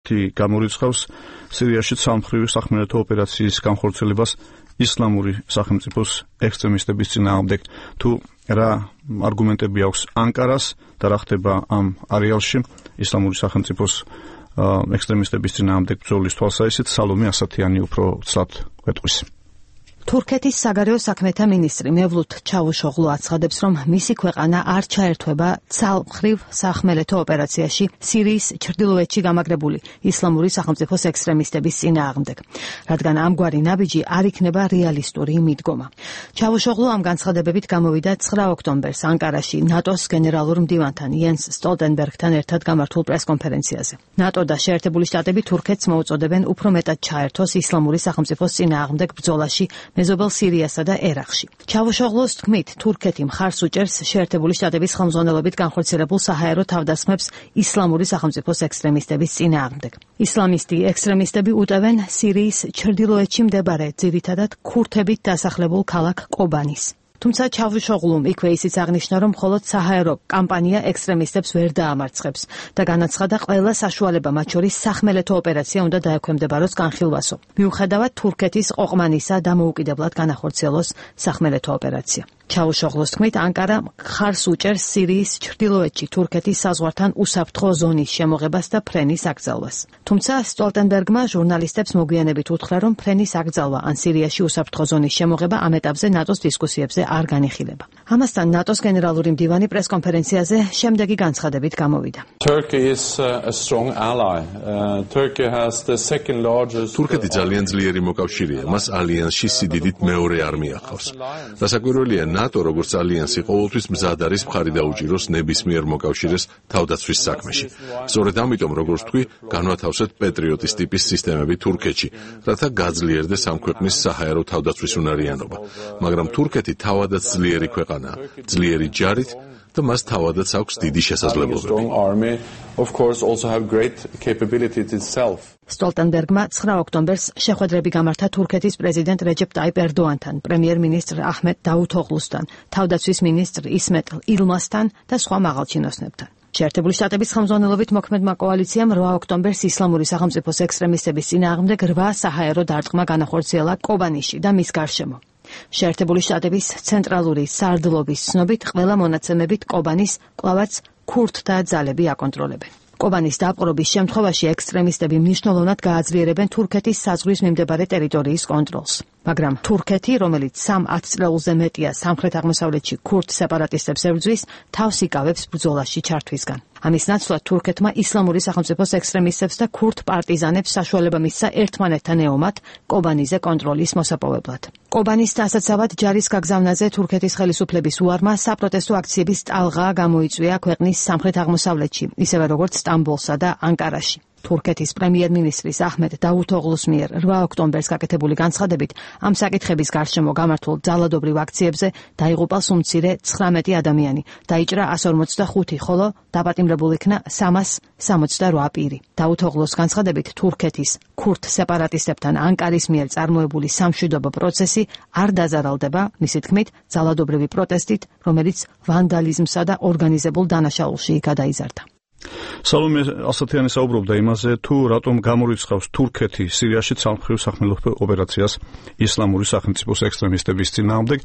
გამორიცხავს სირიაში სამმხრივი სახმელეთო ოპერაციის განხორციელებას ისლამური სახელმწიფოს ექსტრემისტების წინააღმდეგ. თუ რა არგუმენტები აქვს ანკარას და რა ხდება ამ არეალში ისლამური სახელმწიფოს ექსტრემისტების წინააღმდეგ ბრძოლის თვალსაზრისით, სალომე ასათიანი უფრო ცალად გვეტყვის. თურქეთის საგარეო საქმეთა მინისტრი მევლութ ჩავუშოღლუ აცხადებს, რომ მისი ქვეყანა არ ჩაერთვება ცალმხრივ სახმელეთო ოპერაციაში სირიის ჩრდილოეთში გამაგრებული ისლამური სახელმწიფოს ექსტრემისტების წინააღმდეგ, რადგან ამგვარი ნაბიჯი არ იქნება რეალისტური მიდგომა. ჩავუშოღლუ ამ განცხადებებით გამოვიდა 9 ოქტომბერს ანკარაში ნატოს გენერალურ მდივანთან იენს სტოლტენბერგთან ერთად გამართულ პრესკონფერენციაზე. ნატო და შეერთებული შტატები თურქეთს მოუწოდებენ უფრო მეტად ჩაერთოს ისლამური სახელმწიფოს წინააღმდეგ ბრძოლაში მეზობელ სირიასა და ერაყში. ჩავუშოღლუს თქმით, თურქეთი მხარს უჭერს შეერთებული შტატების ხელმძღვანელობით განხორციელებულ საჰაერო თავდასხმებს ისლამური სახელმწიფოს ექსტრემისტების წინააღმდეგ. ისლამისტი ექსტრემისტები უტევენ სირიის ჩრდილოეთში მდებარე ძირითადად ქურთებით დასახლებულ ქალაქ კობანის. თუმცა ჩავუშოღლუმ იქვე ისიც აღნიშნა, რომ მხოლოდ საჰაერო კამპანია ექსტრემისტებს ვერ დაამარცხებს და განაცხადა, ყველა საშუალება, მათ შორის სახმელეთო ოპერაცია უნდა დაექვემდებაროს განხილვასო. მიუხედავად თურქეთის ყოყმანისა დამოუკიდებლად განახორციელოს სახმელეთო ოპერაცია. ჩავუშოღლუს თქმით, ანკარა მხარს უჭერს სირიის ჩრდილოეთში თურქეთის საზღვართან უსაფრთხო ზონის შემოღებას და ფრენის აკრძალვას. თუმცა სტოლტენბერგმა ჟურნალისტებს მოგვიანებით უთხრა, რომ ფრენის აკრძალვა ან სირიაში უსაფრთხო ზონის შემოღება ამ ეტაპზე ნატოს დისკუსიებზე არ განიხილება. ამასთან ნატოს გენერალური მდივანი პრესკონფერენციაზე შემდეგი განცხადებით გამოვიდა. თურქეთი ძალიან ძლიერი მოკავშირეა, მას ალიანსში სიდიდით მეორე არმია ჰყავს. დასაკვირველია, ნატო როგორც ალიანსი ყოველთვის მზად არის მხარი დაუჭიროს ნებისმიერ მოკავშირეს თავდაცვის საქმეში. სწორედ ამიტომ, როგორც თქვი, განვათავსეთ პეტრიოტის ტიპის სისტემები თურქეთში, რათა გაძლიერდეს ამ ქვეყნის საჰაერო თავდაცვის უნარიანობა. მაგრამ თურქეთი თავადაც ძლიერი ქვეყანაა, ძლიერი ჯარით და მას თავადაც აქვს დიდი შესაძლებლობები. სტოლტენბერგმა 9 ოქტომბერს შეხვედრები გამართა თურქეთის პრეზიდენტ რეჯეპ ტაიპ ერდოანთან, პრემიერ-მინისტრ აჰმედ დავუთოღლუსთან, თავდაცვის მინისტრ ისმეტ ილმასთან და სხვა მაღალჩინოსნებთან. შეერთებული შტატების ხელმძღვანელობით მოქმედმა კოალიციამ 8 ოქტომბერს ისლამური სახელმწიფოს ექსტრემისტების წინააღმდეგ 8 საჰაერო დარტყმა განახორციელა კობანიში და მის გარშემო. შეერთებული შტატების ცენტრალური სარდლობის ცნობით, ყველა მონაცემებით კობანის კვლავაც ქურთთა ძალები აკონტროლებენ. კობანის დაპყრობის შემთხვევაში ექსტრემისტები მნიშვნელოვნად გააძლიერებენ თურქეთის საზღვრის მიმდებარე ტერიტორიის კონტროლს. მაგრამ თურქეთი, რომელიც 3 წლეულზე მეტია სამხრეთ-აღმოსავლეთში ქურთ სეპარატისტებს ებრძვის, თავს იკავებს ბრძოლაში ჩართვისგან. ამის ნაცვლად თურქეთმა ისლამური სახელმწიფოს ექსტრემისტებს და ქურთ პარტიზანებს საშუალება მისცა ერთმანეთთან ეომათ კობანიზე კონტროლის მოსაპოვებლად. კობანის დასაცავად ჯარის გაგზავნაზე თურქეთის ხელისუფლების უარმა საპროტესტო აქციების ტალღა გამოიწვია ქვეყნის სამხრეთ-აღმოსავლეთში, ისევე როგორც სტამბოლსა და ანკარაში. თურქეთის პრემიერ-მინისტრის აჰმედ დავუთოღლუს მიერ 8 ოქტომბერს გაკეთებული განცხადებით ამ საკითხების გარშემო გამართულ ძალადობრივ აქციებზე დაიღუპა სულ მცირე 19 ადამიანი, დაიჭრა 145, ხოლო დაპატიმრებულ იქნა 368 პირი. დავუთოღლუს განცხადებით თურქეთის ქურთ სეპარატისტებთან ანკარის მიერ წარმოებული სამშვიდობო პროცესი არ დაზარალდება, მისი თქმით, ძალადობრივი პროტესტით, რომელიც ვანდალიზმსა და ორგანიზებულ დანაშაულში გადაიზარდა. სალომე ასათიანი საუბრობდა იმაზე, თუ რატომ გამორიცხავს თურქეთი სირიაში ცალმხრივ სახმელეთო ოპერაციას ისლამური სახელმწიფოს ექსტრემისტების წინააღმდეგ.